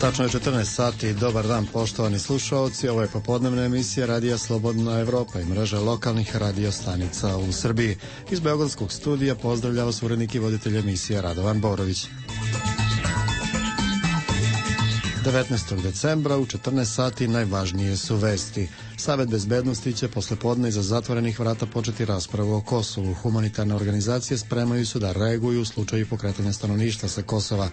Tačno je 14 sati. Dobar dan, poštovani slušaoci. Ovo je popodnevna emisija Radija Slobodna Evropa i mreža lokalnih radio stanica u Srbiji. Iz beogradskog studija pozdravlja vas urednik i voditelj emisije Radovan Borović. 19. decembra u 14 sati najvažnije su vesti. Savet bezbednosti će poslepodne iza zatvorenih vrata početi raspravu o Kosovu. Humanitarne organizacije spremaju se da reaguju u slučaju pokretanja stanovništva sa Kosova.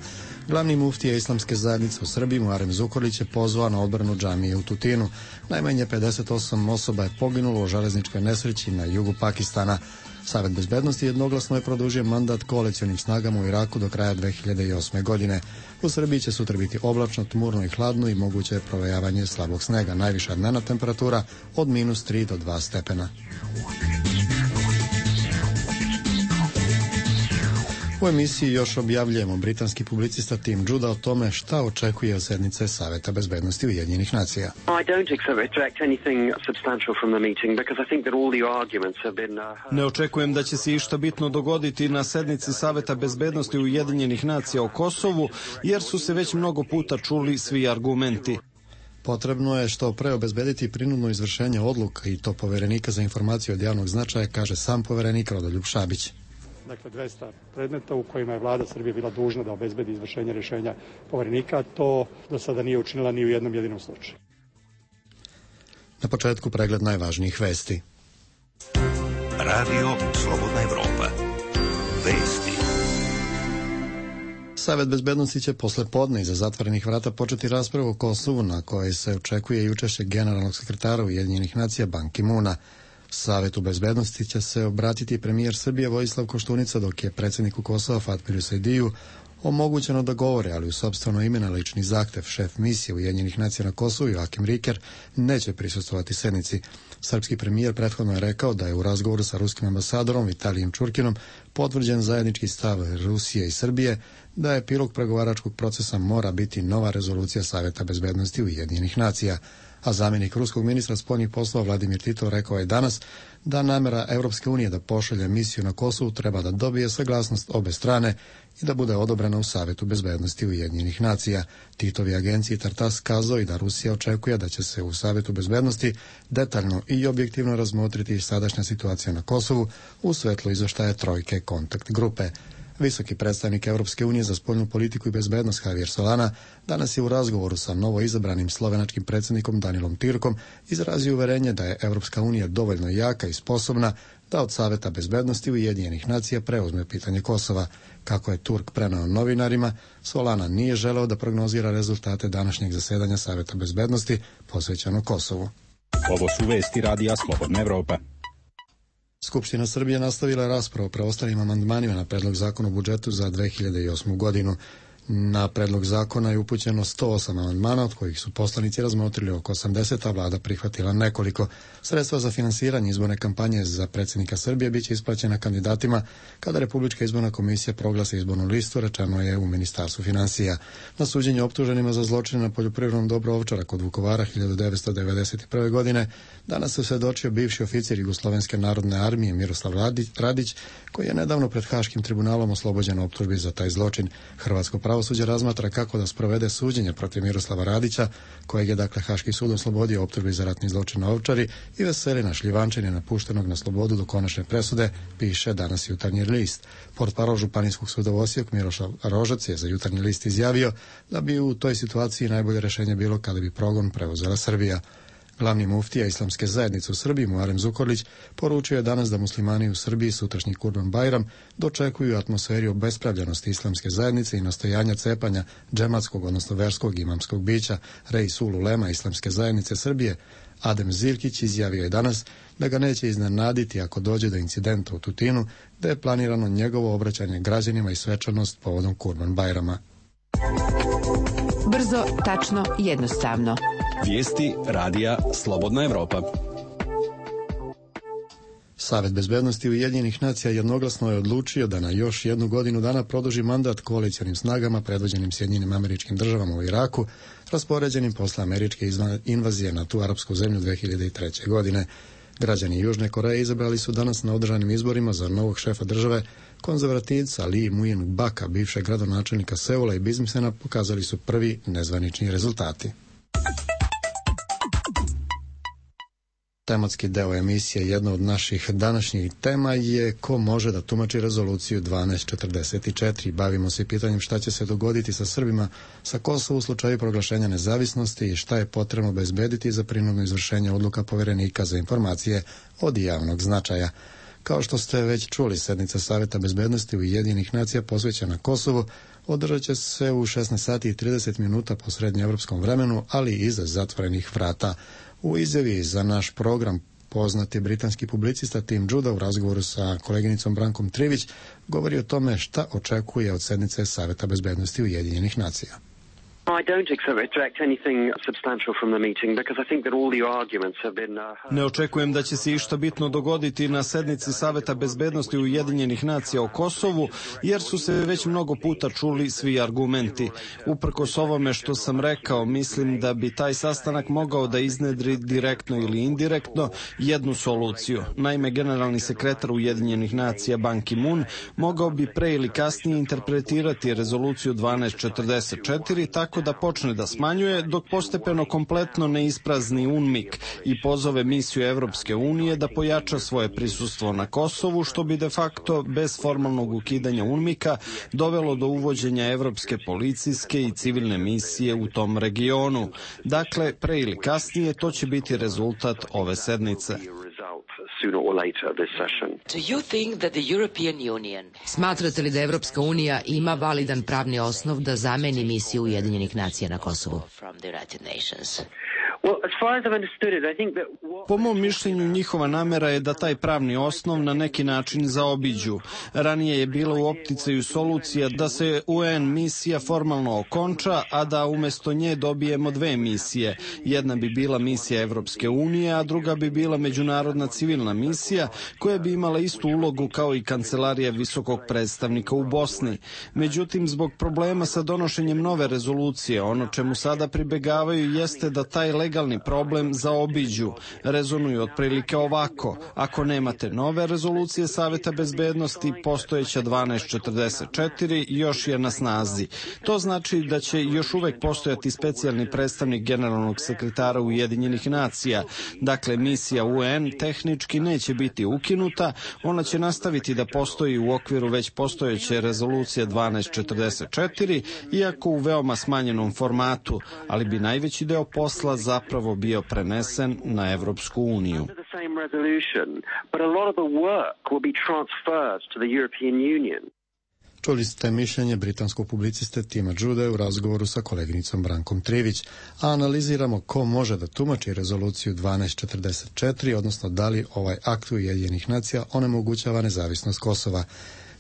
Glavni muftija Islamske zajednice u Srbiji Muharrem Zukorlić je pozvao na odbranu džamije u Tutinu. Najmanje 58 osoba je poginulo u železničkoj nesreći na jugu Pakistana. Savet bezbednosti jednoglasno je produžio mandat koalicionim snagama u Iraku do kraja 2008. godine. U Srbiji će sutra biti oblačno, tmurno i hladno i moguće je provejavanje slabog snega. Najviša dnevna temperatura od -3 do 2 stepena. U emisiji još objavljujemo britanski publicista Tim Juda o tome šta očekuje od sednice Saveta bezbednosti Ujedinjenih nacija. Ne očekujem da će se išta bitno dogoditi na sednici Saveta bezbednosti Ujedinjenih nacija o Kosovu, jer su se već mnogo puta čuli svi argumenti. Potrebno je što pre obezbediti prinudno izvršenje odluka i to poverenika za informacije od javnog značaja, kaže sam poverenik Rodoljub Šabić. Dakle, 200 predmeta u kojima je vlada Srbije bila dužna da obezbedi izvršenje rješenja poverenika, to do sada nije učinila ni u jednom jedinom slučaju. Na početku pregled najvažnijih vesti. Radio Slobodna Evropa. Vesti. Savet bezbednosti će posle podne iza zatvorenih vrata početi raspravu o Kosovu, na kojoj se očekuje i učešće generalnog sekretara Ujedinjenih nacija Ban Ki-moona. Savetu bezbednosti će se obratiti premijer Srbije Vojislav Koštunica, dok je predsjedniku Kosova Fatmiru Sejdiju omogućeno da govore, ali u sopstveno ime na lični zahtev. Šef misije Ujedinjenih nacija na Kosovu Joakim Riker neće prisustvovati sednici. Srpski premijer prethodno je rekao da je u razgovoru sa ruskim ambasadorom Vitalijem Čurkinom potvrđen zajednički stav Rusije i Srbije da epilog pregovaračkog procesa mora biti nova rezolucija Saveta bezbednosti Ujedinjenih nacija. A zamjenik ruskog ministra spoljnih poslova Vladimir Titov rekao je danas da namjera Europske unije da pošalje misiju na Kosovu treba da dobije saglasnost obe strane i da bude odobrena u Savetu bezbednosti Ujedinjenih nacija. Titov je agenciji Tartas kazao i da Rusija očekuje da će se u Savetu bezbednosti detaljno i objektivno razmotriti sadašnja situacija na Kosovu u svetlu izveštaja trojke kontakt grupe. Visoki predstavnik Europske unije za spoljnu politiku i bezbednost Javier Solana danas je u razgovoru sa novoizabranim slovenačkim predsjednikom Danilom Türkom izrazio uverenje da je Europska unija dovoljno jaka i sposobna da od Saveta bezbednosti Ujedinjenih nacija preuzme pitanje Kosova. Kako je Turk preneo novinarima, Solana nije želeo da prognozira rezultate današnjeg zasedanja Saveta bezbednosti posvećeno Kosovu. Ovo su vesti Radija Slobodna Evropa. Skupština Srbije nastavila raspravu o preostalim amandmanima na predlog zakona o budžetu za 2008. godinu. Na predlog zakona je upućeno 108 amandmana, od kojih su poslanici razmotrili oko 80, a vlada prihvatila nekoliko. Sredstva za finansiranje izborne kampanje za predsjednika Srbije biće isplaćena kandidatima kada Republička izborna komisija proglasi izbornu listu, rečeno je u Ministarstvu finansija. Na suđenju optuženima za zločine na poljoprivrednom dobru Ovčara kod Vukovara 1991. godine danas se svedočio bivši oficir Jugoslovenske narodne armije Miroslav Radić, koji je nedavno pred Haškim tribunalom oslobođen optužbi za taj zločin. Hrvatsko pravosuđe razmatra kako da sprovede suđenje protiv Miroslava Radića, kojeg je dakle Haški sud oslobodio optužbi za ratni zločin na Ovčari, i Veselina Šljivančanina napuštenog na slobodu do konačne presude, piše danas Jutarnji list. Portparol Županijskog suda u Osijeku Miroslav Rožac je za Jutarnji list izjavio da bi u toj situaciji najbolje rješenje bilo kada bi progon preuzela Srbija. Glavni muftija Islamske zajednice u Srbiji Muharrem Zukorlić poručio je danas da muslimani u Srbiji sutrašnji Kurban Bajram dočekuju atmosferi obespravljenosti Islamske zajednice i nastojanja cepanja džematskog, odnosno verskog imamskog bića. Reisul ulema Islamske zajednice Srbije Adem Zirkić izjavio je danas da ga neće iznenaditi ako dođe do incidenta u Tutinu, da je planirano njegovo obraćanje građanima i svečanost povodom Kurban Bajrama. Brzo, tačno, jednostavno. Vijesti radija Slobodna Evropa. Savet bezbednosti Ujedinjenih nacija jednoglasno je odlučio da na još 1 godinu dana produži mandat koalicionim snagama predvođenim Sjedinjenim Američkim Državama u Iraku, raspoređenim posle američke invazije na tu arapsku zemlju 2003. godine. Građani Južne Koreje izabrali su danas na održanim izborima za novog šefa države konzervativca Lee Myung-baka, bivšeg gradonačelnika Seula i biznismena, pokazali su prvi nezvanični rezultati. Tematski deo emisije, jedna od naših današnjih tema je ko može da tumači rezoluciju 1244. Bavimo se pitanjem šta će se dogoditi sa Srbima sa Kosova u slučaju proglašenja nezavisnosti i šta je potrebno obezbediti za prinudno izvršenje odluka Poverenika za informacije od javnog značaja. Kao što ste već čuli, sednica Saveta bezbednosti Ujedinjenih nacija posvećena Kosovu održat će se u 16 sati i 30 minuta po srednjeevropskom vremenu, ali iza zatvorenih vrata. U izjavi za naš program poznati britanski publicista Tim Judah u razgovoru sa koleginicom Brankom Trivić govori o tome šta očekuje od sednice Saveta bezbednosti Ujedinjenih nacija. Ne očekujem da će se išta bitno dogoditi na sednici Saveta bezbednosti Ujedinjenih nacija o Kosovu, jer su se već mnogo puta čuli svi argumenti. Uprkos ovome što sam rekao, mislim da bi taj sastanak mogao da iznedri direktno ili indirektno jednu soluciju. Naime, generalni sekretar Ujedinjenih nacija Ban Ki-moon mogao bi pre ili kasnije interpretirati rezoluciju 1244 tako da počne da smanjuje, dok postepeno kompletno ne isprazni UNMIK i pozove misiju Evropske unije da pojača svoje prisustvo na Kosovu, što bi de facto bez formalnog ukidanja UNMIK-a dovelo do uvođenja evropske policijske i civilne misije u tom regionu. Dakle, pre ili kasnije to će biti rezultat ove sednice. Smatrate li da Evropska unija ima validan pravni osnov da zameni misiju Ujedinjenih nacija na Kosovu? Po mom mišljenju, njihova namera je da taj pravni osnov na neki način zaobiđu. Ranije je bila u opticaju solucija da se UN misija formalno okonča, a da umesto nje dobijemo dve misije. Jedna bi bila misija Evropske unije, a druga bi bila međunarodna civilna misija koja bi imala istu ulogu kao i kancelarija visokog predstavnika u Bosni. Međutim, zbog problema sa donošenjem nove rezolucije, ono čemu sada pribegavaju jeste da taj legalni problem zaobiđu. Rezonuju otprilike ovako: ako nemate nove rezolucije Saveta bezbednosti, postojeća 1244 još je na snazi. To znači da će još uvek postojati specijalni predstavnik generalnog sekretara Ujedinjenih nacija. Dakle, misija UN tehnički neće biti ukinuta, ona će nastaviti da postoji u okviru već postojeće rezolucije 1244, iako u veoma smanjenom formatu, ali bi najveći deo posla zapravo bio prenesen na Evropsku uniju. Čuli ste mišljenje britanskog publiciste Tima Judah u razgovoru sa koleginicom Brankom Trivić, a analiziramo ko može da tumači rezoluciju 1244, odnosno da li ovaj akt Ujedinjenih nacija onemogućava nezavisnost Kosova.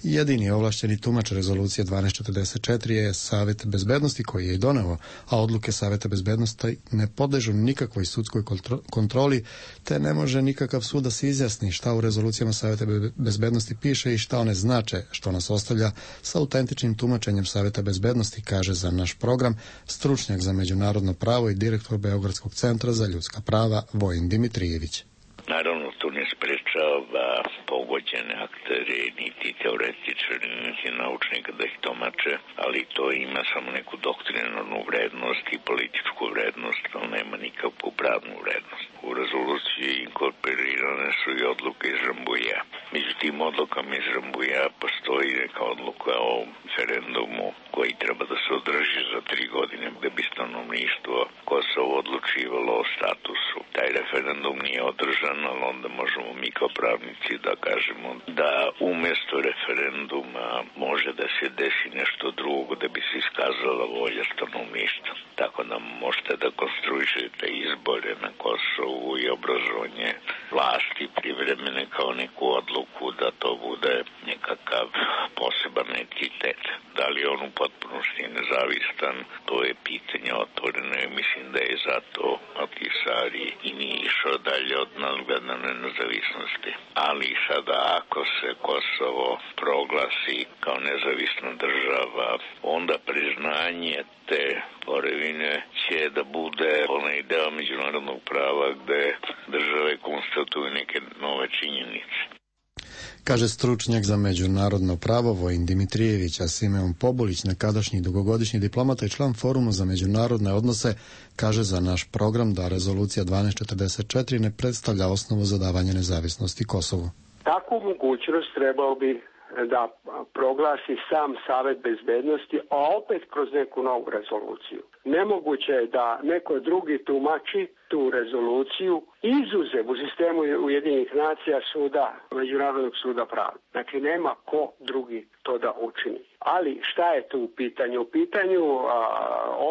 Jedini ovlašćeni tumač rezolucije 1244 je Savet bezbednosti koji je i doneo, a odluke Saveta bezbednosti ne podležu nikakvoj sudskoj kontroli, te ne može nikakav sud da se izjasni šta u rezolucijama Saveta bezbednosti piše i šta one znače, što nas ostavlja sa autentičnim tumačenjem Saveta bezbednosti, kaže za naš program stručnjak za međunarodno pravo i direktor Beogradskog centra za ljudska prava Vojin Dimitrijević. Naravno, to ne sprečava pogođene aktere, niti teoretičari, niti naučnika da ih tumače, ali to ima samo neku doktrinarnu vrednost i političku vrednost, ali nema nikakvu pravnu vrednost. U rezoluciji inkorporirane su i odluke iz Rambuja. Među tim odlukama iz Rambuja postoji neka odluka o referendumu koji treba da se održi za 3 godine gde bi stanovništvo Kosovo odlučivalo o statusu. Taj referendum nije održan, ali onda možemo mi kao pravnici da kažemo da umesto referenduma može da se desi nešto drugo da bi se iskazala volja stanovništva. Tako da možete da konstruišete izbore na Kosovu i obrazovanje vlasti privremene kao neku odluku priliku da to bude nekakav poseban entitet. Da li on u potpunosti nezavistan, to je pitanje otvoreno i mislim da je zato Ahtisaari i nije išao dalje od nadgledane nezavisnosti. Ali sada ako se Kosovo proglasi kao nezavisna država, onda priznanje te tvorevine će da bude onaj deo međunarodnog prava gde države konstatuju neke nove činjenice. Kaže stručnjak za međunarodno pravo Vojin Dimitrijević, a Simeon Pobulić, nekadašnji dugogodišnji diplomata i član Foruma za međunarodne odnose, kaže za naš program da rezolucija 1244 ne predstavlja osnovu za davanje nezavisnosti Kosovu. Takvu mogućnost trebao bi da proglasi sam Savet bezbednosti, a opet kroz neku novu rezoluciju. Nemoguće je da neko drugi tumači tu rezoluciju izuzev u sistemu Ujedinjenih nacija suda, Međunarodnog suda pravde. Dakle, nema ko drugi to da učini. Ali šta je tu u pitanju? U pitanju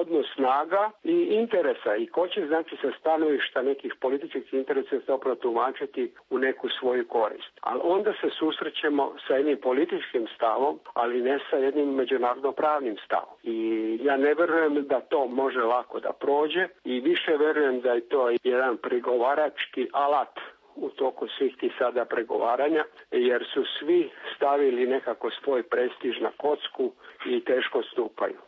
odnos snaga i interesa i ko će znači sa stanovišta nekih političkih interesa se opravo tumačiti u neku svoju korist. Ali onda se susrećemo sa jednim političkim stavom, ali ne sa jednim međunarodno-pravnim stavom. I ja ne verujem da to može lako da prođe i više verujem da je to jedan pregovarački alat u toku svih tih sada pregovaranja, jer su svi stavili nekako svoj prestiž na kocku i teško stupaju.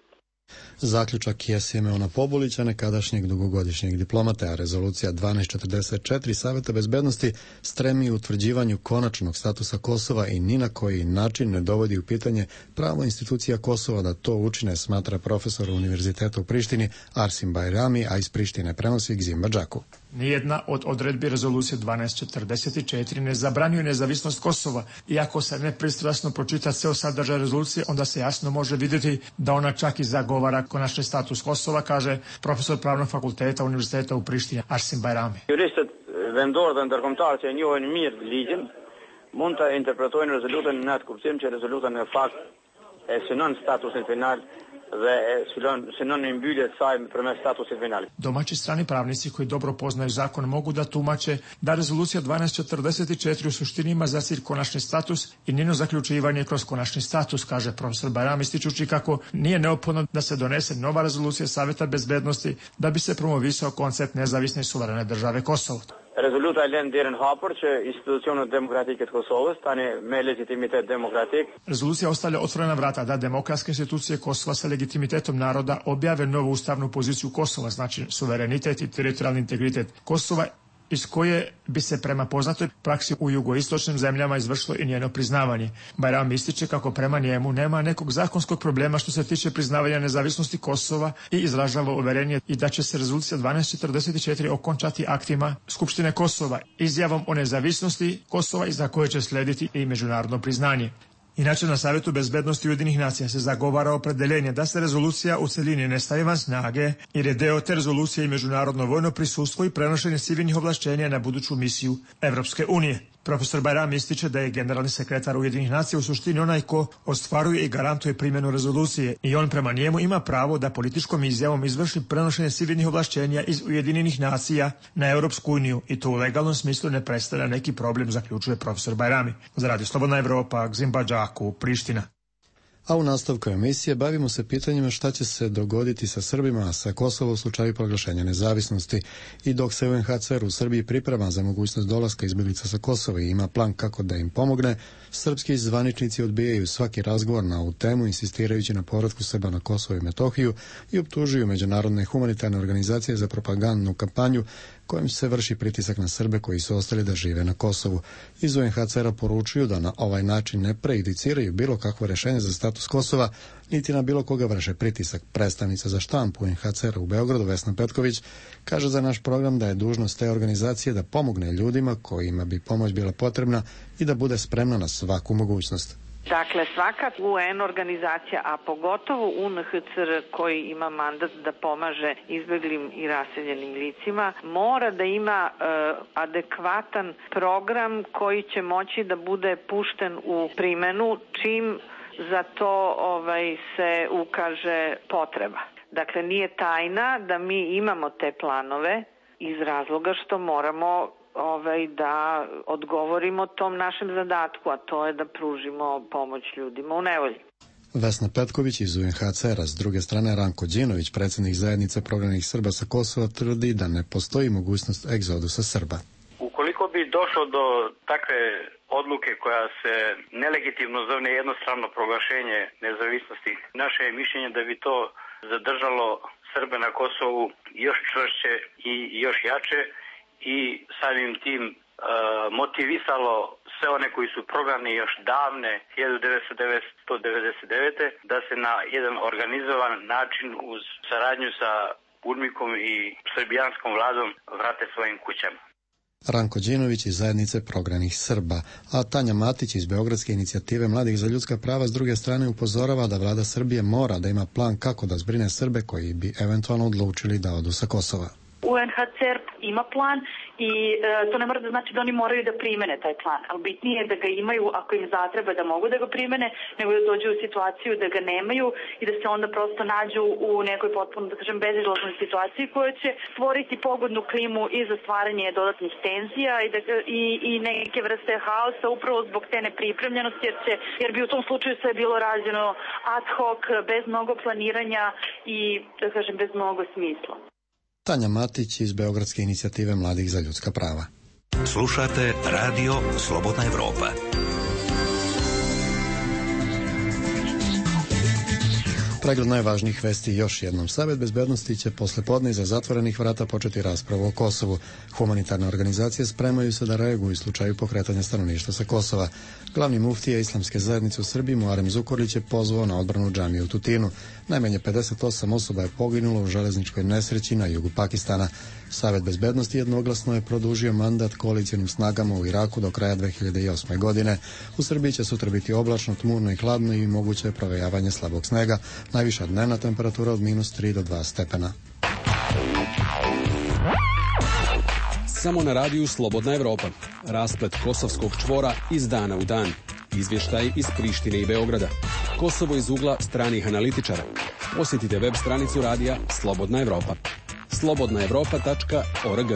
Zaključak je Simeona Pobulića, nekadašnjeg dugogodišnjeg diplomata, a rezolucija 1244 Saveta bezbednosti stremi utvrđivanju konačnog statusa Kosova i ni na koji način ne dovodi u pitanje pravo institucija Kosova da to učine, smatra profesor Univerziteta u Prištini Arsim Bajrami, a iz Prištine prenosi Gzimba Džaku. Nijedna od odredbi rezolucije 1244 ne zabranjuje nezavisnost Kosova. Iako se nepristrasno pročita ceo sadržaj rezolucije, onda se jasno može vidjeti da ona čak i zagovara konačni status Kosova, kaže profesor Pravnog fakulteta Univerziteta u Prištini Arsim Bajrami. Juristët vendor dhe ndërkombëtar që e njohin mirë ligjin mund ta interpretojnë rezolutën në atë kuptim që rezoluta në fakt e synon statusin final dhe synon mbyllje të saj përmes statusit final. Domaći strani pravnici koji dobro poznaju zakon mogu da tumače da rezolucija 1244 u suštini ima za cilj konačni status i njeno zaključivanje kroz konačni status, kaže profesor Bajram, ističući kako nije neophodno da se donese nova rezolucija Saveta bezbednosti da bi se promovisao koncept nezavisne i suverene države Kosovo. Rezoluta e lën derën hapur që institucionet demokratike të Kosovës tani me legitimitet demokratik. Rezolucija ostavlja otvorena vrata da demokratske institucije Kosova sa legitimitetom naroda objave novu ustavnu poziciju Kosova, znači suverenitet i teritorijalni integritet Kosova, iz koje bi se prema poznatoj praksi u jugoistočnim zemljama izvršilo i njeno priznavanje. Bajram ističe kako prema njemu nema nekog zakonskog problema što se tiče priznavanja nezavisnosti Kosova i izražava uverenje i da će se rezolucija 1244 okončati aktima Skupštine Kosova, izjavom o nezavisnosti Kosova i za koje će slediti i međunarodno priznanje. Inače, na Savjetu bezbednosti Ujedinjenih nacija se zagovara opredeljenje da se rezolucija u celini ne stavi van snage, jer je deo te rezolucije i međunarodno vojno prisustvo i prenošenje civilnih ovlašćenja na buduću misiju Evropske unije. Profesor Bajram ističe da je generalni sekretar Ujedinjenih nacija u suštini onaj ko ostvaruje i garantuje primjenu rezolucije i on prema njemu ima pravo da političkom izjavom izvrši prenošenje civilnih ovlašćenja iz Ujedinjenih nacija na Europsku uniju i to u legalnom smislu ne predstavlja neki problem, zaključuje profesor Bajrami. Za Radio Slobodna Evropa, Gzimba Džaku, Priština. A u nastavku emisije bavimo se pitanjima šta će se dogoditi sa Srbima, a sa Kosovom u slučaju proglašenja nezavisnosti. I dok se UNHCR u Srbiji priprema za mogućnost dolaska izbjeglica sa Kosova i ima plan kako da im pomogne, srpski zvaničnici odbijaju svaki razgovor na ovu temu, insistirajući na povratku Srba na Kosovo i Metohiju i optužuju međunarodne humanitarne organizacije za propagandnu kampanju kojim se vrši pritisak na Srbe koji su ostali da žive na Kosovu. Iz UNHCR-a poručuju da na ovaj način ne prejudiciraju bilo kakvo rešenje za status Kosova, niti na bilo koga vrše pritisak. Predstavnica za štampu UNHCR-a u Beogradu, Vesna Petković, kaže za naš program da je dužnost te organizacije da pomogne ljudima kojima bi pomoć bila potrebna i da bude spremna na svaku mogućnost. Dakle, svaka UN organizacija, a pogotovo UNHCR koji ima mandat da pomaže izbeglim i raseljenim licima, mora da ima adekvatan program koji će moći da bude pušten u primenu čim za to se ukaže potreba. Dakle, nije tajna da mi imamo te planove iz razloga što moramo da odgovorimo tom našem zadatku, a to je da pružimo pomoć ljudima u nevolji. Vesna Petković iz UNHCR-a, s druge strane Ranko Đinović, predsjednik zajednice prognanih Srba sa Kosova, tvrdi da ne postoji mogućnost egzodusa Srba. Ukoliko bi došlo do takve odluke koja se nelegitimno zove jednostrano proglašenje nezavisnosti, naše je mišljenje da bi to zadržalo Srbe na Kosovu još čvršće i još jače i samim tim motivisalo sve one koji su prognani još davne 1999. da se na jedan organizovan način uz saradnju sa UNMIK-om i srbijanskom vladom vrate svojim kućama. Ranko Đinović iz zajednice prognanih Srba, a Tanja Matić iz Beogradske inicijative Mladih za ljudska prava s druge strane upozorava da vlada Srbije mora da ima plan kako da zbrine Srbe koji bi eventualno odlučili da odu sa Kosova. UNHCR ima plan i to ne mora da znači da oni moraju da primene taj plan, ali bitnije je da ga imaju ako im zatreba da mogu da ga primene, nego da dođu u situaciju da ga nemaju i da se onda prosto nađu u nekoj potpuno, da kažem, bezizlaznoj situaciji koja će stvoriti pogodnu klimu i za stvaranje dodatnih tenzija i neke vrste haosa upravo zbog te nepripremljenosti, jer bi u tom slučaju sve bilo rađeno ad hoc, bez mnogo planiranja i, da kažem, bez mnogo smisla. Tanja Matić iz Beogradske inicijative Mladih za ljudska prava. Slušate Radio Slobodna Evropa. Pregled najvažnijih vesti još jednom. Savet bezbednosti će posle podne iza zatvorenih vrata početi raspravu o Kosovu. Humanitarne organizacije spremaju se da reaguju u slučaju pokretanja stanovništva sa Kosova. Glavni muftija Islamske zajednice u Srbiji Muharem Zukorlić je pozvao na odbranu džamije u Tutinu. Najmanje 58 osoba je poginulo u železničkoj nesreći na jugu Pakistana. Savet bezbednosti jednoglasno je produžio mandat koalicijonim snagama u Iraku do kraja 2008. godine. U Srbiji će sutra biti oblačno, tmurno i hladno i moguće je provejavanje slabog snega. Najviša dnevna temperatura od -3 do 2 stepena. Samo na radiju Slobodna Evropa. Rasplet kosovskog čvora iz dana u dan. Izvještaj iz Prištine i Beograda. Kosovo iz ugla stranih analitičara. Posjetite web stranicu radija Slobodna Evropa. slobodnaevropa.org.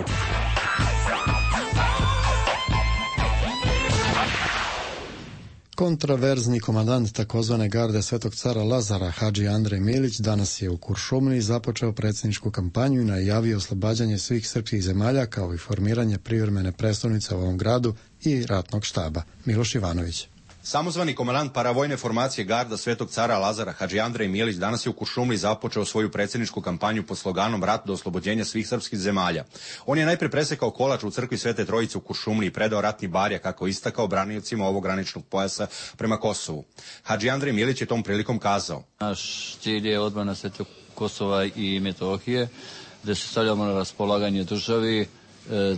Kontraverzni komandant takozvane garde Svetog cara Lazara, Hadži Andrej Milić, danas je u Kuršumliji započeo predsjedničku kampanju i najavio oslobađanje svih srpskih zemalja kao i formiranje privremene prestolnice u ovom gradu i ratnog štaba. Miloš Ivanović. Samozvani komandant paravojne formacije garda Svetog cara Lazara, Hadži Andrej Milić, danas je u Kuršumliji započeo svoju predsjedničku kampanju pod sloganom Rat do oslobođenja svih srpskih zemalja. On je najprije presekao kolač u crkvi Svete Trojice u Kuršumliji i predao ratni barjak, kako istakao, braniocima ovog graničnog pojasa prema Kosovu. Hadži Andrej Milić je tom prilikom kazao: Naš cilj je odbrana Svetog Kosova i Metohije, da se stavljamo na raspolaganje državi,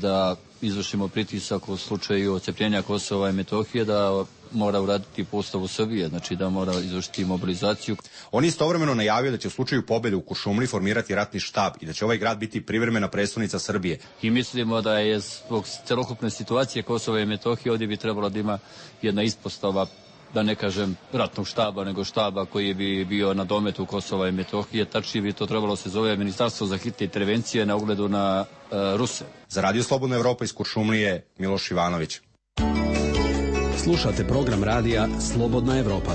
da izvršimo pritisak u slučaju odcepljenja Kosova i Metohije, da mora uraditi postavu Srbije, znači da mora izvršiti mobilizaciju. On je istovremeno najavio da će u slučaju pobjede u Kuršumliji formirati ratni štab i da će ovaj grad biti privremena prestolnica Srbije. I mislimo da je zbog celokupne situacije Kosova i Metohije ovdje bi trebalo da ima jedna ispostava, da ne kažem ratnog štaba, nego štaba koji bi bio na dometu Kosova i Metohije. Tačnije bi to trebalo se zove Ministarstvo za hitne intervencije na ugledu na Ruse. Za Radio Slobodna Evropa iz Kuršumlije, Miloš Ivanović. Slušate program radija Slobodna Evropa.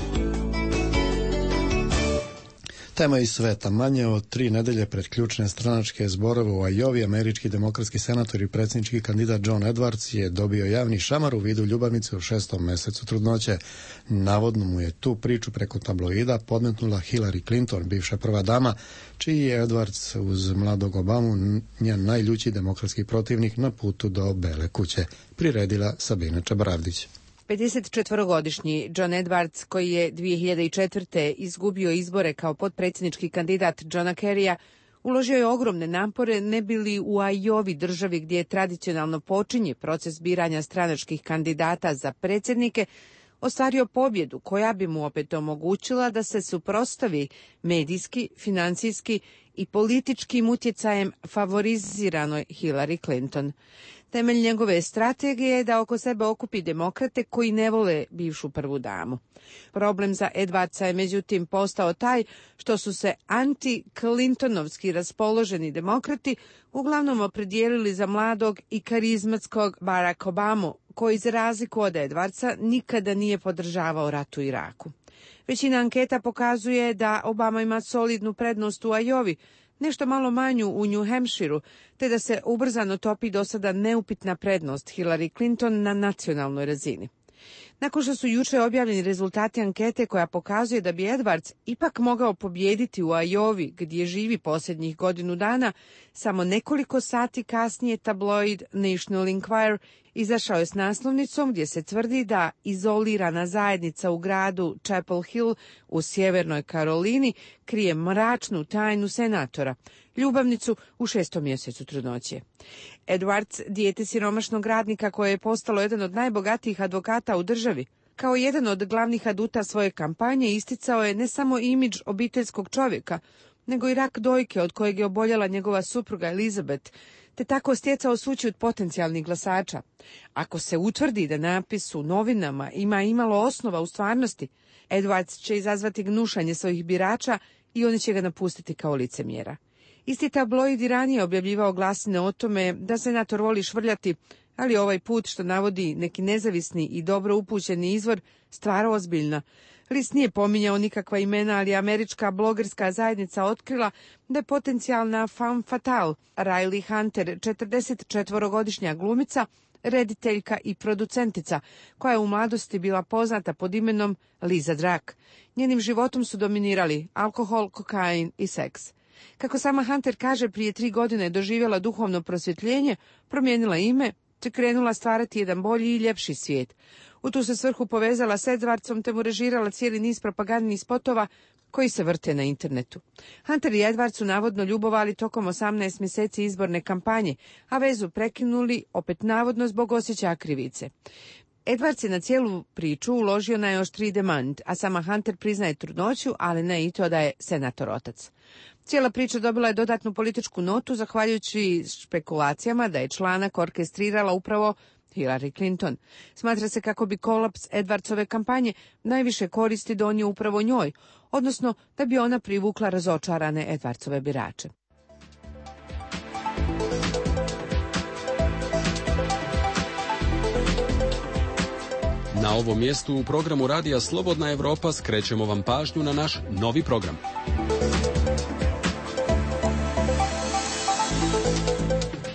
Tema iz sveta. Manje od 3 nedelje pred ključne stranačke zborove u Ajovi, američki demokratski senator i predsjednički kandidat John Edwards je dobio javni šamar u vidu ljubavnice u 6. mesecu trudnoće. Navodno mu je tu priču preko tabloida podmetnula Hillary Clinton, bivša prva dama, čiji je Edwards uz mladog Obamu njen najljući demokratski protivnik na putu do Bele kuće. Priredila Sabina Čabaravdić. 54-godišnji John Edwards, koji je 2004. izgubio izbore kao potpredsjednički kandidat Johna Kerrya, uložio je ogromne napore ne bili u Ajovi, državi gdje tradicionalno počinje proces biranja stranačkih kandidata za predsjednike, ostvario pobjedu koja bi mu opet omogućila da se suprotstavi medijski, financijski i političkim utjecajem favoriziranoj Hillary Clinton. Temelj njegove strategije je da oko sebe okupi demokrate koji ne vole bivšu prvu damu. Problem za Edwardsa je međutim postao taj što su se anti-Clintonovski raspoloženi demokrati uglavnom opredijelili za mladog i karizmatskog Barack Obamu, koji za razliku od Edwardsa nikada nije podržavao rat u Iraku. Većina anketa pokazuje da Obama ima solidnu prednost u Iowi, nešto malo manju u New Hampshireu, te da se ubrzano topi do sada neupitna prednost Hillary Clinton na nacionalnoj razini. Nakon što su juče objavljeni rezultati ankete koja pokazuje da bi Edwards ipak mogao pobijediti u Iowi, gdje živi posljednjih godinu dana, samo nekoliko sati kasnije tabloid National Enquirer izašao je s naslovnicom gdje se tvrdi da izolirana zajednica u gradu Chapel Hill u sjevernoj Karolini krije mračnu tajnu senatora, ljubavnicu u 6. mjesecu trudnoće. Edwards, dijete siromašnog radnika koje je postalo jedan od najbogatijih advokata u državi, kao jedan od glavnih aduta svoje kampanje isticao je ne samo imidž obiteljskog čovjeka, nego i rak dojke od kojeg je oboljela njegova supruga Elizabeth, te tako stjecao sućut potencijalnih glasača. Ako se utvrdi da napis u novinama ima imalo osnova u stvarnosti, Edwards će izazvati gnušanje svojih birača i oni će ga napustiti kao licemjera. Isti tabloid i ranije objavljivao glasine o tome da senator voli švrljati, ali ovaj put, što navodi neki nezavisni i dobro upućeni izvor, stvar ozbiljna. List nije pominjao nikakva imena, ali američka blogerska zajednica otkrila da je potencijalna femme fatale Riley Hunter, 44-godišnja glumica, rediteljka i producentica, koja je u mladosti bila poznata pod imenom Liza Drak. Njenim životom su dominirali alkohol, kokain i seks. Kako sama Hunter kaže, prije 3 godine je doživjela duhovno prosvjetljenje, promijenila ime, te krenula stvarati jedan bolji i ljepši svijet. U tu se svrhu povezala s Edwardsom, te mu režirala cijeli niz propagandnih spotova koji se vrte na internetu. Hunter i Edward su navodno ljubovali tokom 18 mjeseci izborne kampanje, a vezu prekinuli opet navodno zbog osjećaja krivice. Edwards je na cijelu priču uložio najoštriji demant, a sama Hunter priznaje trudnoću, ali ne i to da je senator otac. Cijela priča dobila je dodatnu političku notu zahvaljujući špekulacijama da je članak orkestrirala upravo Hillary Clinton. Smatra se kako bi kolaps Edwardsove kampanje najviše koristi donio upravo njoj, odnosno da bi ona privukla razočarane Edwardsove birače. Na ovom mjestu u programu Radija Slobodna Evropa skrećemo vam pažnju na naš novi program.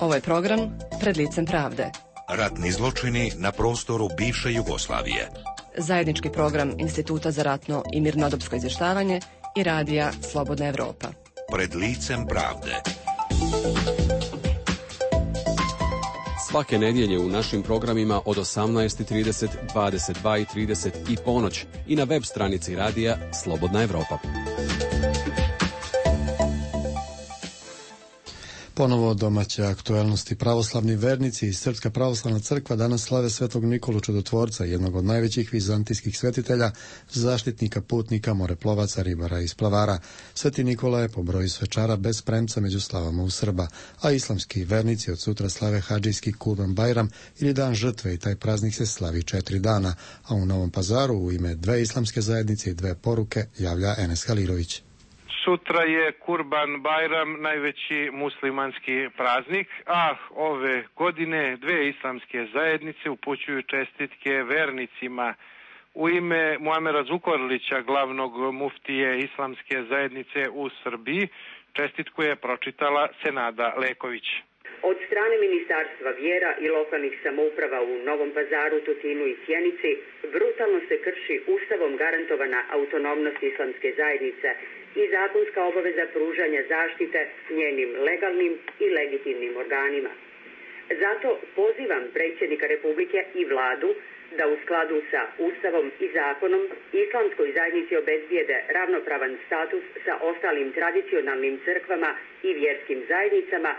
Ovo je program Pred licem pravde. Ratni zločini na prostoru bivše Jugoslavije. Zajednički program Instituta za ratno i mirnodopsko izvještavanje i Radija Slobodna Evropa. Pred licem pravde. Svake nedjelje u našim programima od 18:30, 22:30 i ponoć i na web stranici Radija Slobodna Evropa. Ponovo domaće aktualnosti. Pravoslavni vernici i Srpska pravoslavna crkva danas slave Svetog Nikolu Čudotvorca, jednog od najvećih vizantijskih svetitelja, zaštitnika putnika, moreplovaca, ribara i splavara. Sveti Nikola je po broju svečara bez premca među slavama u Srba, a islamski vernici od sutra slave hadžijski Kurban Bajram ili dan žrtve i taj praznik se slavi 4 dana, a u Novom Pazaru u ime 2 islamske zajednice i 2 poruke javlja Enes Halilović. Sutra je Kurban Bajram, najveći muslimanski praznik, a ove godine 2 islamske zajednice upućuju čestitke vernicima. U ime Muamera Zukorlića, glavnog muftije islamske zajednice u Srbiji, čestitku je pročitala Senada Leković. Od strane Ministarstva vjera i lokalnih samouprava u Novom Pazaru, Tutinu i Sjenici brutalno se krši Ustavom garantovana autonomnost islamske zajednice i zakonska obaveza pružanja zaštite njenim legalnim i legitimnim organima. Zato pozivam predsjednika Republike i vladu da u skladu sa Ustavom i zakonom islamskoj zajednici obezbijede ravnopravan status sa ostalim tradicionalnim crkvama i vjerskim zajednicama,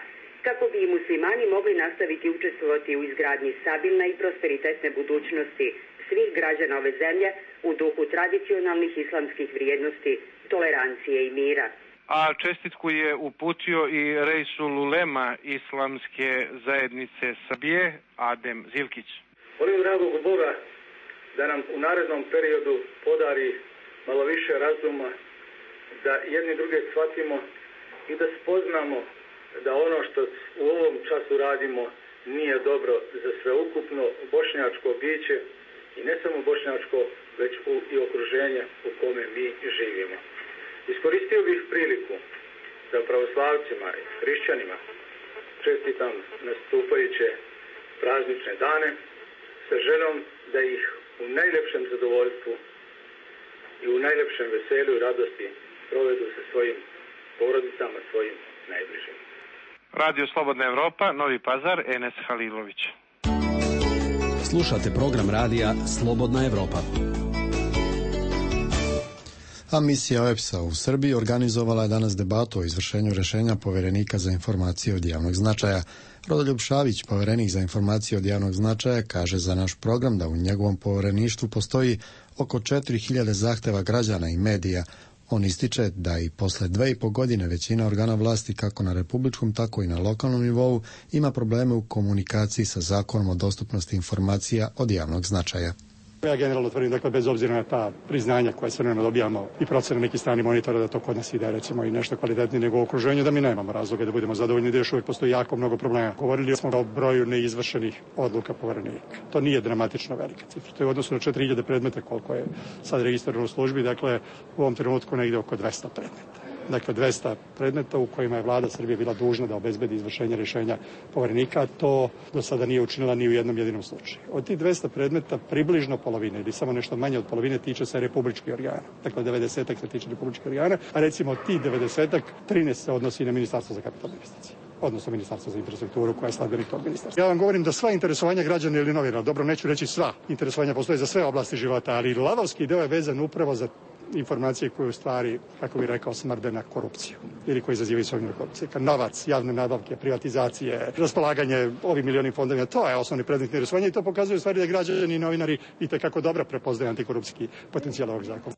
kako bi i muslimani mogli nastaviti učestvovati u izgradnji stabilne i prosperitetne budućnosti svih građana ove zemlje u duhu tradicionalnih islamskih vrijednosti, tolerancije i mira. A čestitku je uputio i Reisul Ulema islamske zajednice Srbije, Adem Zilkić. Molim dragog Boga da nam u narednom periodu podari malo više razuma, da jedni druge shvatimo i da spoznamo da ono što u ovom času radimo nije dobro za sveukupno bošnjačko biće i ne samo bošnjačko, već i okruženje u kome mi živimo. Iskoristio bih priliku da pravoslavcima i hrišćanima čestitam nastupajuće praznične dane sa željom da ih u najljepšem zadovoljstvu i u najljepšem veselju i radosti provedu sa svojim porodicama, svojim najbližim. Radio Slobodna Evropa, Novi Pazar, Enes Halilović. Slušate program radija Slobodna Evropa. A misija OEBS-a u Srbiji organizovala je danas debatu o izvršenju rješenja Poverenika za informacije od javnog značaja. Rodoljub Šabić, poverenik za informacije od javnog značaja, kaže za naš program da u njegovom povereništvu postoji oko 4000 zahteva građana i medija. On ističe da i posle 2,5 godine većina organa vlasti kako na republičkom tako i na lokalnom nivou ima probleme u komunikaciji sa Zakonom o dostupnosti informacija od javnog značaja. Ja generalno tvrdim, dakle, bez obzira na ta priznanja koje sve vremena dobijamo i procene nekih strani monitora da to kod nas ide, recimo, i nešto kvalitetnije nego u okruženju, da mi nemamo razloga da budemo zadovoljni, da još uvijek postoji jako mnogo problema. Govorili smo o broju neizvršenih odluka poverenika. To nije dramatično velika cifra. To je u odnosu na 4000 predmeta koliko je sad registrirano u službi, dakle, u ovom trenutku negde oko 200 predmeta. Dakle, 200 predmeta u kojima je vlada Srbije bila dužna da obezbedi izvršenje rješenja poverenika, to do sada nije učinila ni u jednom jedinom slučaju. Od tih 200 predmeta približno polovine ili samo nešto manje od polovine tiče se republičkih organa. Dakle, 90% se tiče republičkih organa, a recimo od tih 90% 13 se odnosi na Ministarstvo za kapitalne investicije, odnosno Ministarstvo za infrastrukturu koja je sledbenik tog ministarstva. Ja vam govorim da sva interesovanja građana ili novinara, dobro, neću reći sva interesovanja, postoje za sve oblasti života, ali lavovski deo je vezan upravo za informacije koje u stvari, kako bih rekao, smrde na korupciju ili koji izazivaju sumnju korupcije. Novac, javne nabavke, privatizacije, raspolaganje ovim milionim fondovima, to je osnovni predmet interesovanja i to pokazuje u stvari da građani i novinari itekako dobro prepoznaju antikorupcijski potencijal ovog zakona.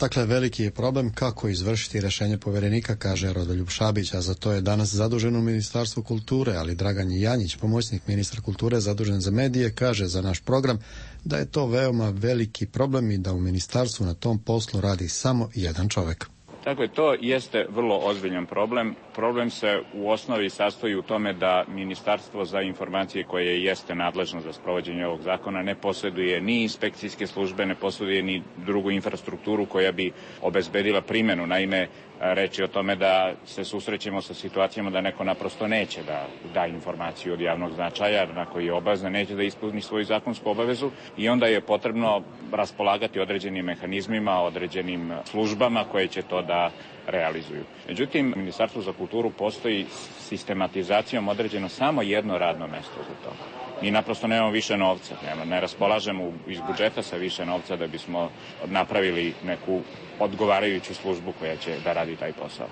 Dakle, veliki je problem kako izvršiti rješenje poverenika, kaže Rodoljub Šabić, a za to je danas zadužen u Ministarstvu kulture, ali Dragan Janjić, pomoćnik ministra kulture zadužen za medije, kaže za naš program da je to veoma veliki problem i da u ministarstvu na tom poslu radi samo jedan čovjek. Dakle, to jeste vrlo ozbiljan problem. Problem se u osnovi sastoji u tome da Ministarstvo za informacije koje jeste nadležno za sprovođenje ovog zakona ne posjeduje ni inspekcijske službe, ne posjeduje ni drugu infrastrukturu koja bi obezbedila primjenu. Naime, reč je o tome da se susrećemo sa situacijama da neko naprosto neće da da informaciju od javnog značaja na koji je obavezan, neće da ispuni svoju zakonsku obavezu i onda je potrebno raspolagati određenim mehanizmima, određenim službama koje će to da realizuju. Međutim, Ministarstvo za kulturu postoji sistematizacijom određeno samo jedno radno mesto za to. Mi naprosto nemamo više novca, ne raspolažemo iz budžeta sa više novca da bismo napravili neku odgovarajuću službu koja će da radi taj posao.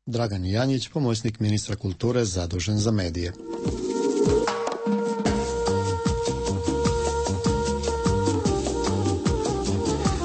Dragan Janjić, pomoćnik ministra kulture zadužen za medije.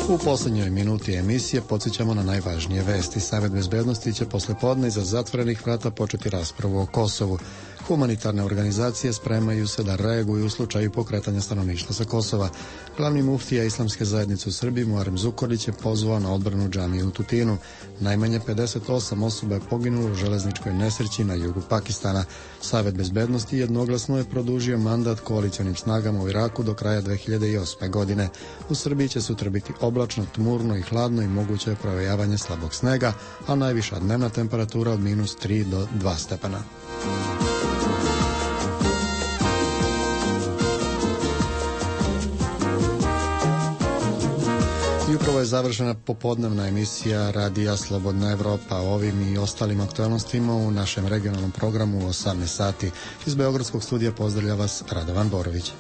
U posljednjoj minuti emisije podsjećamo na najvažnije vesti. Savet bezbednosti će poslijepodne iza zatvorenih vrata početi raspravu o Kosovu. Humanitarne organizacije spremaju se da reaguju u slučaju pokretanja stanovništva sa Kosova. Glavni muftija Islamske zajednice u Srbiji Muharrem Zukorlić je pozvao na odbranu džamije u Tutinu. Najmanje 58 osoba je poginulo u železničkoj nesreći na jugu Pakistana. Savet bezbednosti jednoglasno je produžio mandat koalicionim snagama u Iraku do kraja 2008. godine. U Srbiji će sutra biti oblačno, tmurno i hladno i moguće je provejavanje slabog snega, a najviša dnevna temperatura od -3 do 2 stepena. I upravo je završena popodnevna emisija Radija Slobodna Evropa. Ovim i ostalim aktualnostima u našem regionalnom programu u 18 sati. Iz Beogradskog studija pozdravlja vas Radovan Borović.